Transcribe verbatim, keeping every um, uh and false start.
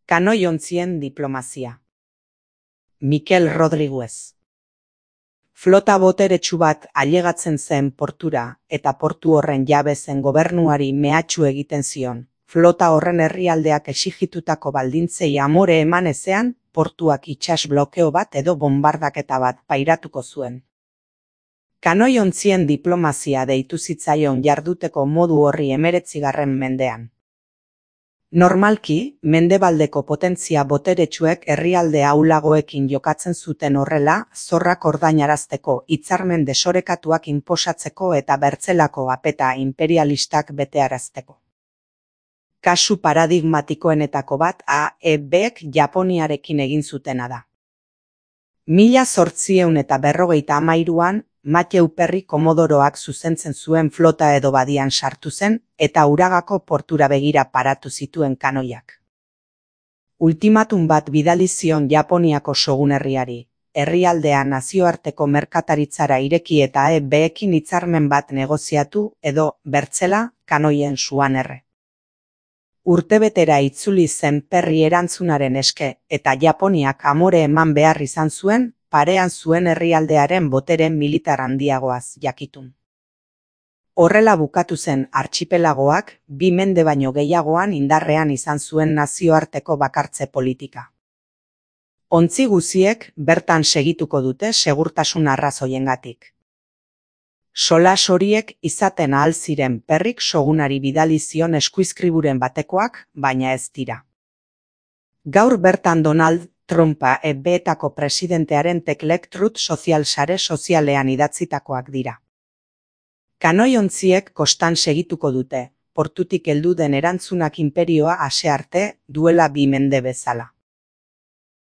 Kanoi-ontzien diplomazia. Mikel Rodriguez. Flota boteretsu bat ailegatzen zen portura eta portu horren jabe zen gobernuari mehatxu egiten zion. Flota horren herrialdeak exigitutako baldintzei amore eman ezean, portuak itsas blokeo bat edo bombardaketa bat pairatuko zuen. Kanoi-ontzien diplomazia deitu zitzaion jarduteko modu horri hemeretzigarren mendean. Normalki, mendebaldeko potentzia boteretsuek herrialde ahulagoekin jokatzen zuten horrela, zorrak ordainarazteko, hitzarmen desorekatuak inposatzeko eta bertzelako apeta imperialistak betearazteko. Kasu paradigmatikoenetako bat A E Bek Japoniarekin egin zutena da. Mila zortziehun eta berrogeita hamairuan, Matthew Perry komodoroak zuzentzen zuen flota edo badian sartu zen, eta Uragako portura begira paratu zituen kanoiak. Ultimatum bat bidali zion Japoniako shogun herriari, herrialdea nazioarteko merkataritzara ireki eta E Bekin hitzarmen bat negoziatu edo, bertzela, kanoien suan erre. Urtebetera itzuli zen Perry erantzunaren eske, eta Japoniak amore eman behar izan zuen, parean zuen herrialdearen botere militar handiagoaz jakitun. Horrela bukatu zen artxipelagoak, bi mende baino gehiagoan indarrean izan zuen nazioarteko bakartze politika. Ontzi guziek bertan segituko dute segurtasun arrazoiengatik. Solas horiek izaten ahal ziren Perryk shogunari bidali zion eskuizkriburen batekoak, baina ez dira. Gaur bertan Donald Trumpa E Betako presidentearen teklek Truth Social sare sozialean idatzitakoak dira. Kanoi-ontziek kostan segituko dute, portutik heldu den erantzunak inperioa ase arte, duela bi mende bezala.